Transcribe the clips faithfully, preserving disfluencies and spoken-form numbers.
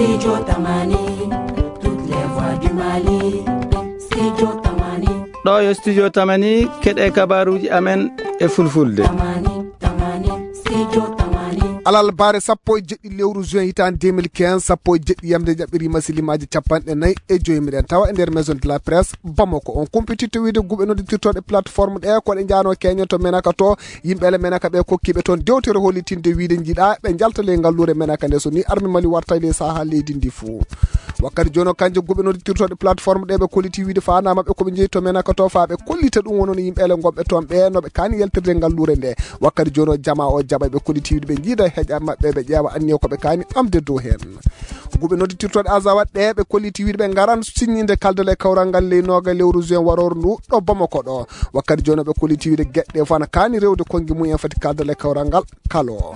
Studio Tamani, toutes les voix du Mali. Studio Tamani. Ɗo yo Studio Tamani, keɗe kabaruji amen e fulfulde. Tamani, Tamani, Studio Tamani. Alal bare sappo e jeɗɗi lewru juin hitande deux mille quinze, sappo e jeɗɗi yamde jaɓɓiri masilimaaji capanɗe nayi e joyi. Miɗen tawa e nder Maison de la Presse Bamako. On kumpititto wiide guɓe nodditirtoɗe plateforme ɗe ko ɗe jaano keñen to Menaka to. Yimɓe ele Menaka ɓe kokkiɓe toon dewtere hollitinde wiide jiiɗa ɓe jalta ley ngalluure Menaka nde, so ni arme Mali warta e ley saha leydi ndi fuu. Wakkati jooni o, kanje guɓe nodditirtoɗe plateforme ɗe ɓe kolliti wiide faanaa maɓɓe ko ɓe jeyi to Menaka to, faa ɓe kollita ɗum wonon yimɓe ele gonɓe toon ɓe no ɓe kaani yaltirde ngalluure nde. Wakkati jooni o, jamaa o jaɓa ɓe kolliti wiide ɓe jiida heƴa maɓɓe, ɓe ƴeewa anniya ko ɓe kaani ɓamde dow heen. Guɓe nodditirtoɗe Azawad ɗe ɓe kolliti wiide ɓe ngaran siññinde kaldal e kawral ngal ley nooga lewru juin warooru ndu ɗo Bamako ɗo. Wakkati jooni o, ɓe kolliti wiide geɗe ɗe fof ana kaani rewde konngi mum en fati kaldal e kawral ngal kalo.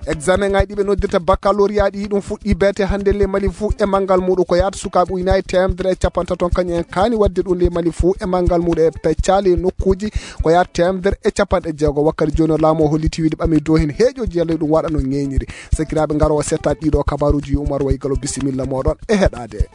Examen ŋaaji ɗi ɓe noddirta baccalauréat ɗi, ɗum fuɗɗi beete hannde ley Mali fuu e manngal muɗum. Ko yaata sukaaɓe ujunaaji teemedere e capanɗe tato kañum en kaani waɗde ɗum ley Mali fuu e manngal muɗum e peccaali e nokkuuji ko yaata teemedere e capanɗe jeego. Wakkati jooni o, laamu o holliti wiide ɓami dow heen heeƴooji yalla ɗum waɗa no ŋeeñiri. Sakiraaɓe, ngaro o settaade ɗiɗo kabaruuji. Yo Umar Way Galo, bisimilla mooɗon e heɗaade.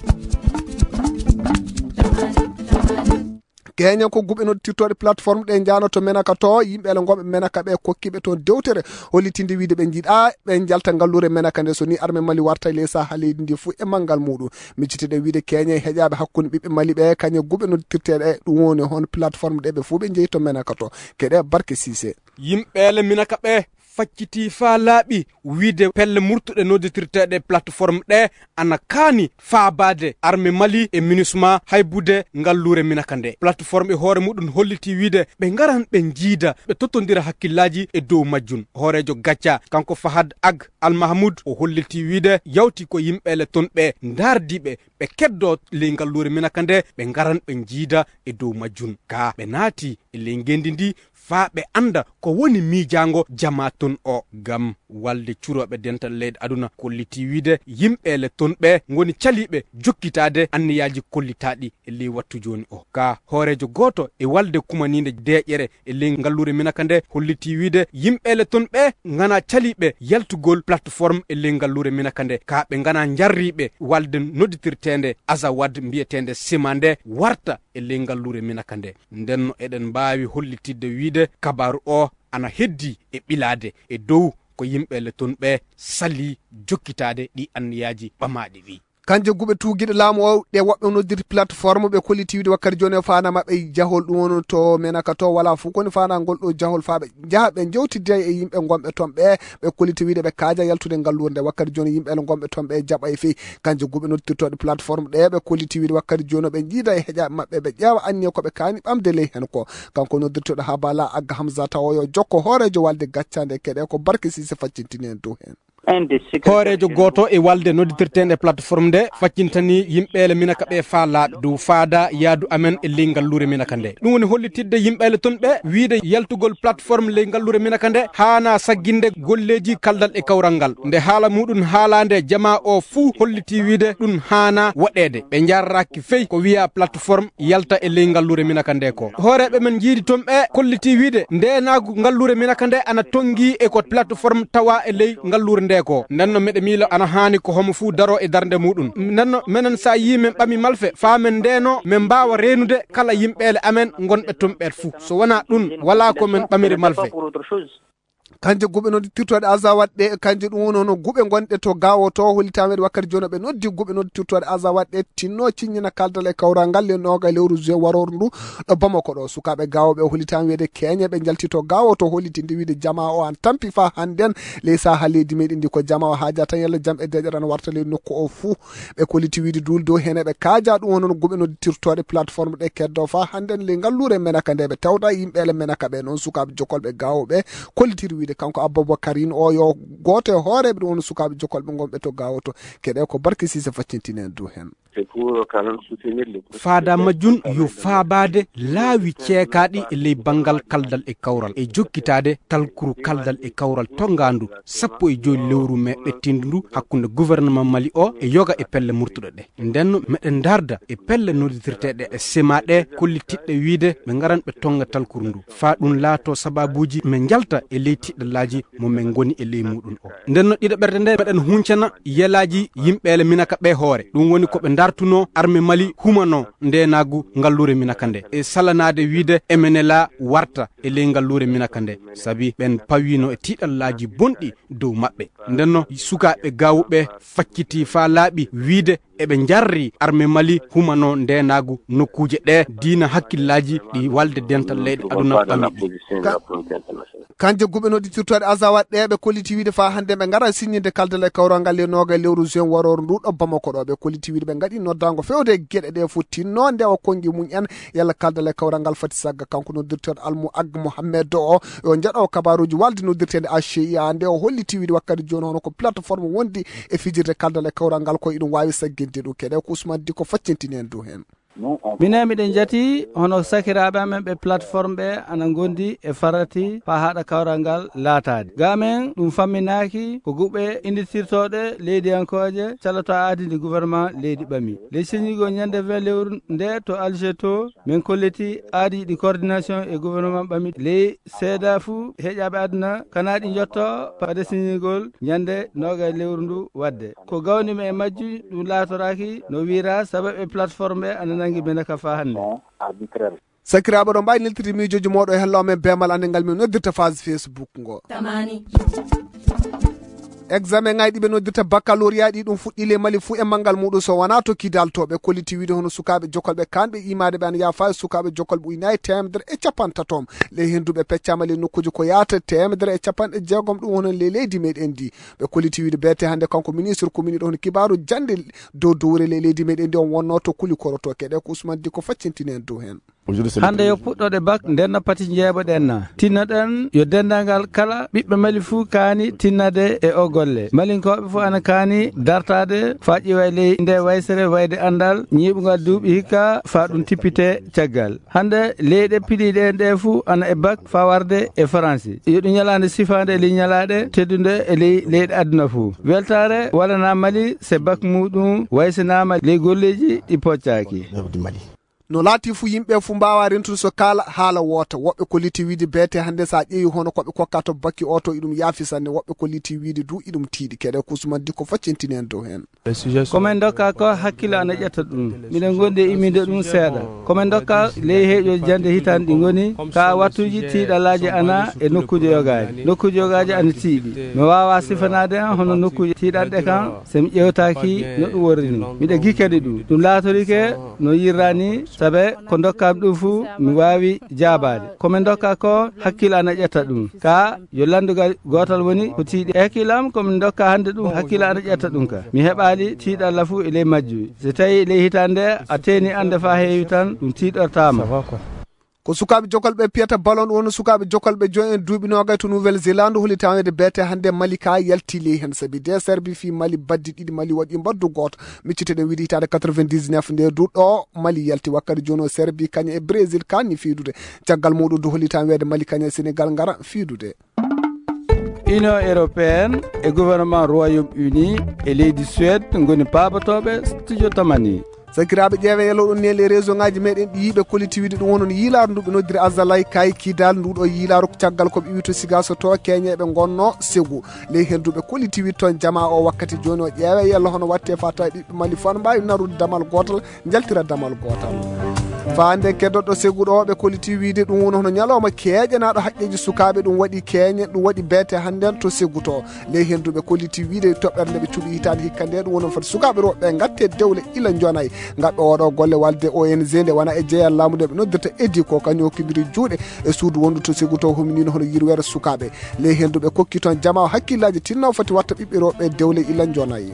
Keñen ko guɓe nodditirtoɗe plateforme ɗe janoto Menaka to, yimɓe ele gonɓe Menaka ɓe kokkiɓe toon dewtere hollitinde wiide ɓe jiiɗa ɓe jalta ngalluure Menaka nde, so ni arme Mali warta e ley saha leydi ndi fuu e manngal muɗum. Micciteɗen wiide keñen heƴaɓe hakkunde ɓiɓɓe Mali ɓe kañe guɓe nodditirteɗe ɗum woni hono plateforme ɗe ɓe fuu ɓe jeyi to Menaka to. Keɗe Barke Sise. Yimɓe ele Menaka ɓe facciti faa laaɓi wiide pelle murtuɗe nodditirteeɗe plateforme ɗe ana kaani faabaade arme Mali e minusma haybude ngalluure Minaka nde. Plateforme e hoore muɗum holliti wiide ɓe ngaran ɓe njiida, ɓe tottondira hakkillaaji e dow majjum. Hooreejo gacca kanko Fahad Ag Al Mahmoud o holliti wiide yawti ko yimɓe ele ton ɓe ndaardiiɓe ɓe keddoo ley ngalluure Minaka nde, ɓe ngaran ɓe njiida e dow majjum. Ka ɓe naati e ley ngenndi ndi faa ɓe annda ko woni miijaango jamaa ton o. Ngam walde curooɓe dental leyɗe aduna kolliti wiide yimɓe ele ton ɓe ngoni caliiɓe jokkitaade anniyaaji kollitaaɗi e ley wattu jooni o. Ka hooreejo gooto e walde kumaniinde deeƴere e ley ngalluure Minaka nde holliti wiide yimɓe ele ton ɓe ngana caliiɓe yaltugol plateforme e ley ngalluure Minaka nde. Ka ɓe ngana njarriiɓe walde nodditirteende Azawad mbiyeteende Sima nde warta e ley ngalluure Minaka nde. Nden no eɗen mbaawi hollitidde wiide kabaaru o ana heddi e ɓilaade e dow ko yimɓe ele ton ɓe salii jokkitaade ɗi anniyaaji ɓamaaɗi ɗi. Kanje guɓe tuugiiɗe laamu o ɗe woɓɓe noddirta plateforme ɓe kolliti wiide wakkati jooni o faanaa maɓɓe jahol ɗum woni to Menaka to wala fof koni faanaa ngol ɗo jahol faa ɓe njaha ɓe njewtidda e yimɓe gonɓe ton ɓe, ɓe kolliti wiide ɓe kaaja yaltude ngalluure nde. Wakkati jooni yimɓe ele gonɓe ton ɓe jaɓa e fii. Kanje guɓe noddirtooɗe plateforme ɗe ɓe kolliti wiide wakkati jooni o ɓe njiida e heƴaaɓe maɓɓe ɓe ƴeewa anniya ko ɓe kaani ɓamde ley heen ko. Kanko noddirtooɗo Habala Agga Hamza tawa yo jokko hooreejo walde gaccande keɗe ko Barke Sise faccintini en dow heen. Hooreejo gooto e walde nodditirteende plateforme nde faccintani yimɓe ele Minaka ɓe faa laaɓi dow faada yaadu amen e ley ngalluure Minaka nde. Ɗum woni hollitidde yimɓe ele ton ɓe wiide yaltugol plateforme ley ngalluure Minaka nde haanaa sagginde golleeji kaldal e kawral ngal. Nde haala muɗum haalaande jamaa o fuu holliti wiide ɗum haanaa waɗeede. Ɓe njarraaki fey ko wiyaa plateforme yalta e ley ngalluure Minaka nde ko. Hooreeɓe men njiidi ton ɓe kolliti wiide ndeenaagu ngalluure Minaka nde ana tonngi e ko plateforme tawa e ley ngalluure nde ko. Nden no meɗe miilo ana haani ko homo fuu daro e darnde muɗum. Nden no menen so a yii men ɓami malfe faa men ndeeno men mbaawa reenude kala yimɓe ele amen ngonɓe ton ɓe fuu. So wanaa ɗum, walaa ko men ɓamiri malfe. Kanje guɓe noddirtooɗe Azawad ɗe, kanje ɗum woni hono guɓe gonɗe to Gaawo to, hollitaama waɗi wakkati jooni ɓe noddi guɓe noddirtooɗe Azawad ɗe tinno ciññina kaldal e kawral ngal le nooga e lewru juin warooru ndu ɗo Bamako ɗo. Sukaaɓe Gaawo ɓe hollitaama wiide keñe ɓe njalti to Gaawo to, hollitinde wiide jamaa o an tampi faa hannden ley saha leydi meɗen ndi ko jamaa o haaja tan yalla jam e deeƴere ana warta ley nokku o fuu. Ɓe kolliti wiide duulde o heen eɓe kaaja ɗum hono guɓe noddirtooɗe plateforme ɗe keddo faa hannden ley ngalluure Menaka nde ɓe tawta yimɓe ele Menaka ɓe noon sukaaɓe jokolɓe Gaawo ɓe kollitiri wiide kanko Aboubacarine o yo gooto e hooreeɓe ɗum woni sukaaɓe jokolɓe gonɓe to Gaawo to. Keɗe ko Barke Sise faccintini en dow heen. C'est pour quand même soutenir les faada majjum yo faabaade laawi ceekaaɗi e ley banngal kaldal e kawral e jokkitaade talkuru kaldal e kawral tonngaandu sappo e joy lewru mee ɓettiindu ndu hakkunde gouvernement Mali o e yoga e pelle murtuɗe ɗe. Nden meɗen ndarda e pelle nodditirteeɗe e sema ɗe kollitiɗɗe wiide ɓe ngaran ɓe tonnga talkuru ndu. Faa ɗum laato sababuuji men njalta e ley tiɗɗallaaji mo men ngoni e ley muɗum o. Nden no ɗiɗo ɓerde nde meɗen huncana yelaaji yimɓeele Minaka ɓe hoore. Ɗum woni ko ɓe ndartuno arme Mali humano ndenaagu ngalluure Minaka nde. E salanaade wiide M N L A warta e ley ngalluure Minaka nde. Sabi ɓen pawino e tiɗallaaji bonɗi dow maɓɓe. Nden no sukaaɓe gawuɓe facciti faa laaɓi wiide eɓe njarri arme Mali humano ndenaagu nokkuuje ɗe diina hakkillaaji ɗi walde dental leyɗe aduna ɓami ɗi. Ka-, kanje guɓe nodditirtoɗe Azawa ɗe ɓe kolliti wiide faa hannde ɓe ngara signinde kaldal e kawral ngal le nooga e lewru juin warooru ndu ɗo Bamako ɗo. Ɓe kolliti wiide ɓe ngaɗi noddaango fewde e geɗe ɗe fof tinno ndewa konngi mum en yalla kaldal e kawral ngal fati sagga. Kanko noddirteeɗo Almu Ag Mohammed o, o njaɗo kabaruuji walde noddirteende A C I A nde o holliti wiide wakkati jooni hono ko plateforme wondi e fijirde kaldal e kawral ngal ko iɗum waawi sagginde ɗum. Keɗe ko Ousmane Diko faccintini en dow heen. Minen miɗen njati hono sakiraaɓe amen ɓe plateforme ɓe ana ngondi e farati faa haɗa kawral ngal laataade. Ga amen ɗum famminaaki ko guɓe innditirtooɗe leydiyankooje caloto aadi ndi gouvernement leydi ɓami. Ley signigol ñande vingt lewru nde to Alger to, min kolliti aadi ɗi coordination e gouvernement ɓami ley seeda fuu heƴaaɓe aduna kana ɗi njotto fade signigol ñande nooga lewru ndu waɗde. Ko gawni mi e majji ɗum laatoraaki no wiira sababu e plateforme ɓe ana nangi Minaka faa hannde. Sakiraaɓe ɗo mbaawi neltirde miijooji mooɗo e hello amen beemal annde ngal min noddirta phase Facebook ngo. Tamani. Examen ngaji ɗi ɓe noddirta baccalauréat ɗi ɗum fuɗɗi le Mali fuu e manngal muɗum so wonaa to Kidal to. Ɓe kolliti wiide hono sukaaɓe jokolɓe kanɓe imaade ɓe ana yaafa e sukaaɓe jokolɓe ujunaaji teemedere e capanɗe tato. Ley henndu ɓe peccaama ley nokkuuji ko yaata teemedere e capanɗe jeegom ɗum hono ley leydi meɗen ndi. Ɓe kolliti wiide beete hannde kanko ministre ko mini ɗo hono kibaaru jannde dow dowre ley leydi meɗen ndi on wonno to kuli koroto keɗe ko Ousmane Diko faccintini en dow heen. Hannde yo puɗɗoɗe bak nden no pati njeeɓoɗen na. Tinnoɗen yo denndaangal kala ɓiɓɓe Mali fuu kaani tinnade e o golle. Malinkooɓe fuu ana kaani dartaade faa ƴiwa e ley nde waysere wayde anndal ñiiɓungal duuɓi hikka faa ɗum tippite caggal. Hannde leyɗe piɗiiɗe en ɗe fuu ana e bak faa warde e Faransi. Yo ɗum ñalaande sifaande e ley ñalaaɗe teddunde e ley leyɗe aduna fuu. Weltaare walanaa Mali se bak muuɗum waysanaama ley golleeji ɗi poccaaki. No laati fuu yimɓe fuu mbaawaa rentude so kaala haala woota. Woɓɓe kolliti wiide beete hannde so a ƴeewi hono ko ɓe kokka to bakki oto iɗum yaafi sanne. Woɓɓe kolliti wiide du iɗum tiiɗi. Keɗe ko Ousmane Diko faccintini en dow heen. Ko min ndokka ko hakkille ana ƴetta ɗum. Miɗen ngondi e imminde ɗum seeɗa. Ko min ndokka ley heeƴooji jannde hitaande ɗi ngoni ka wattuuji tiiɗalaaji ana e nokkuuji yogaaji. Nokkuuji yogaaji ana tiiɗi. Mi waawaa sifanaade en hono nokkuuji tiiɗanɗe kan se mi ƴeewtaaki no ɗum worri ni. Miɗa gikkani ɗum. Ɗum laatorike no yirraa ni, sabe ko ndokkaami ɗum fuu mi waawi jaabaade. Ko min ndokka ko hakkille ana ƴetta ɗum. Ka yo lanndugal gootal woni ko tiiɗi. E hakkille am ko min ndokka hannde ɗum hakkille ana ƴetta ɗum ka. Mi heɓaali tiiɗalla fuu e ley majjuuji. So tawii ley hitaande a teeni annde faa heewi tan ɗum tiiɗortaama. Ko sukaaɓe jokolɓe piyata ballon ɗum woni sukaaɓe jokolɓe joyi en duuɓi noogay to Nouvelle Zélande hollitaa weede beete hannde Mali ka yalti ley heen sabi de Serbi fii Mali baddi ɗiɗi Mali waɗi mbaddu gooto. Micciteɗen wiide hitaande quatre-vingt-dix-neuf nde du ɗo Mali yalti wakkati jooni o Serbi kañum e Brésil kaanni fiidude. Caggal muɗum du hollitaa weede Mali kañum e Sénégal ngara fiidude. Union européenne e gouvernement Royaume-Uni e leydi Suède ngoni paabotooɓe studio Tamani. Sakiraaɓe ƴeewe yelo ɗum ne les réseau ngaji meɗen ɗi yiiɓe kolliti wiide ɗum wonon yiilaaru ndu ɓe noddiri Azalay kay Kidal ndu ɗo yiilaaru caggal ko ɓe iwi to Sigaso to Kenya ɓe ngonno Segu. Ley henndu ɓe kolliti wiide toon jamaa o wakkati jooni o ƴeewe yelo hono watte faa tawi ɓiɓɓe Mali fof ana mbaawi narude damal gootal njaltira damal gootal. Faa hannde keddoɗo Segu ɗo ɓe kolliti wiide ɗum woni hono ñalawma keeƴanaaɗo haqqeeji sukaaɓe ɗum waɗi keeñe ɗum waɗi beete hannden to Segu to. Ley henndu ɓe kolliti wiide toɓɓere nde ɓe cuɓi hitaande hikka nde ɗum woni foti sukaaɓe rewɓe ɓe ngatte dewle ila njonayi. Ngaɓɓe oɗo golle walde O N G nde wona e jeyal laamu nde ɓe noddirta edi ko kañum hokkindiri juuɗe e suudu wondu to Segu to huminino hono yirweere sukaaɓe. Ley henndu ɓe kokki toon jamaa hakkillaaji tinno foti watta ɓiɓɓe rewɓe dewle ila njonayi.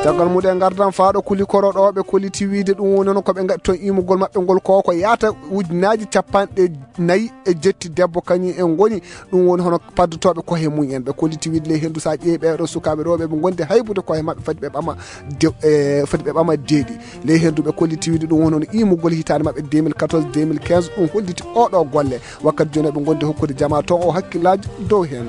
Caggal mum en ngardan faaɗo Kulikoro ɗo ɓe kolliti wiide ɗum woni hono ko ɓe ngaɗi toon imugol maɓɓe ngol ko ko yaata ujunaaji capanɗe nayi e jetti debbo kañum en ngoni. Ɗum woni hono paddotooɓe koye mum en. Ɓe kolliti wiide ley henndu so a ƴeewi ɓeeɗo sukaaɓe rewɓe ɓe ngondi haybude koye maɓɓe foti ɓe ɓama de-, e, foti ɓe ɓama deeɗi. Ley henndu ɓe kolliti wiide ɗum woni hono imugol hitaande maɓɓe deux mille quatorze deux mille quinze, ɗum holliti oɗo golle. Wakkati jooni ɓe ngondi hokkude jama toon o hakkillaaji dow heen.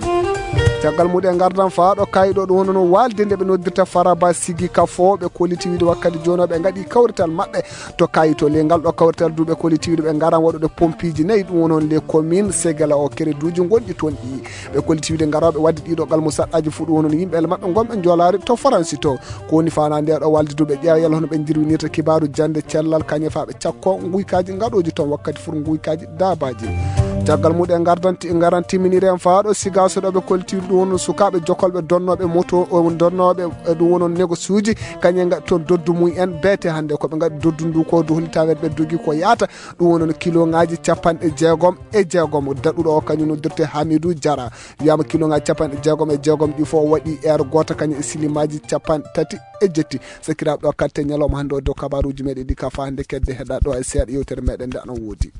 Caggal mum en ngardan faaɗo kayɗo ɗum woni no waalde nde ɓe noddirta Faraba Sigi Kafo, ɓe kolliti wiide wakkati jooni ɓe ngaɗi kawrital maɓɓe to kayito. Ley ngal ɗo kawrital du ɓe kolliti wiide ɓe ngaran waɗude pompiiji nayi, ɗum woni on les communes Segela o kereduuji gonɗi toon ɗi. Ɓe kolliti wiide ngarooɓe waɗde ɗiɗo gal musaɗɗaaji fuu ɗum woni yimɓe maɓɓe gonɓe njoolaari to Faransi to. Ko woni faanaa nde ɗo waalde du ɓe ƴeewa yalla hono ɓe njirwinirta kibaaru jannde cellal kañum faa ɓe cakko nguykaji ngaɗooji toon wakkati fur nguykaji daabaaji. Caggal mum en ngardan ti-, ngaran timminiri en faaɗo Sigaaso ɗo ɓe kolliti ɗum woni sukaaɓe jokolɓe donnooɓe moto, o donnooɓe, e ɗum woni negosuuji, kañum en ngaɗi toon doddu mum en beete hannde ko ɓe ngaɗi doddu ndu ko du hollitaweede ɓe dogi ko yaata ɗum woni kilo ngaji capanɗe jeegom e jeegom. Daɗuɗo o kañum noddirte Hamidou Diarra. Wiyama kilo ngaji capanɗe jeegom e jeegom ɗi fof waɗi heure gooto kañum e silimaaji capanɗe tati e jetti. Sakiraaɓe ɗo katte ñalawma hannde o dow kabaruuji meɗen ɗi ka faa hannde kedde heɗa ɗo e seeɗa yewtere meɗen nde ana woodi.